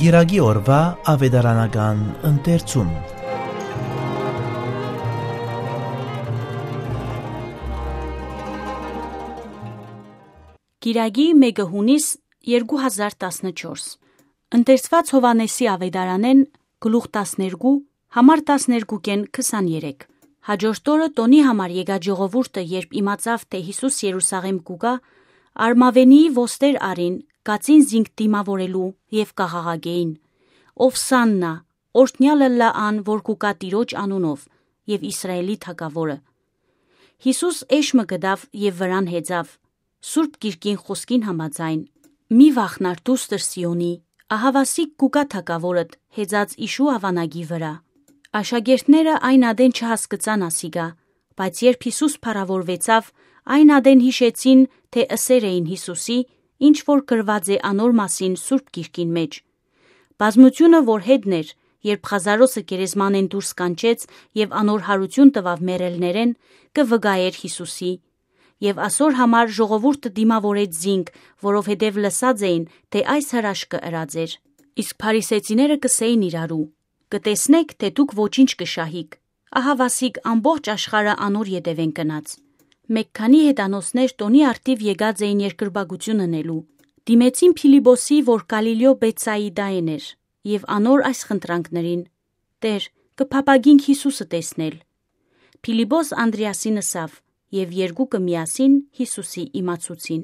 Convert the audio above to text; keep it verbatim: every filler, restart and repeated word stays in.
Կիրակի օրուայ աւետարանական ընթերցում։ Կիրակի, մէկը յունիս երկու հազար տասնչորս։ Ընթերցուած Յովհաննէսի աւետարանէն, գլուխ տասներկու, համար տասներկուքէն քսաներեք։ Հաջորդ օրը տօնի համար եկած ժողովուրդը, երբ իմացաւ թէ Յիսուս Երուսաղէմ կու գայ, արմաւենիի ոստեր առին, կացին զինք դիմաւորելու եւ կ'աղաղակէին. «Ովսաննա, օրհնեալ ըլլայ ան որ կու գայ Տիրոջ անունով, եւ Իսրայէլի թագաւորը»։ Յիսուս էշ մը գտաւ եւ վրան հեծաւ, Սուրբ Գիրքին խօսքին համաձայն. «Մի վախնար դուստր Սիոնի, ահաւասիկ կու գայ թագաւորդ, հեծած իշու աւանակի վրայ»։ Աշակերտները այն ատեն չհասկցան ասիկա, բայց երբ Յիսուս փառաւորուեցաւ, այն ատեն յիշեցին թէ ըսեր էին Յիսուսի, ինչ որ գրուած է անոր մասին Սուրբ Գիրքին մէջ։ Բազմութիւնը որ հետն էր, երբ Ղազարոսը գերեզմանէն դուրս կանչեց եւ անոր յարութիւն տուաւ մեռելներէն, կը վկայէր Յիսուսի։ Եւ ասոր համար ժողովուրդը դիմաւորեց զինք, որովհետեւ լսած էին թէ այս հրաշքը ըրած էր։ Իսկ փարիսեցիները կ'ըսէին իրարու. «Կը տեսնէք թէ դուք ոչինչ կը շահիք, ահաւասիկ ամբողջ աշխարհը անոր ետեւէն գնաց»։ Մէկ քանի հեթանոսներ տօնի առթիւ եկած էին երկրպագութիւն ընելու։ Դիմեցին Փիլիպոսի, որ Կալիլիոյ Բեթսայիդայէն էր, եւ անոր այս խնդրանքներին. «Տէր, կը փափագինք Յիսուսը տեսնել»։ Փիլիպոս Անդրեասին ըսաւ, եւ երկուքը միասին Յիսուսի իմացուցին։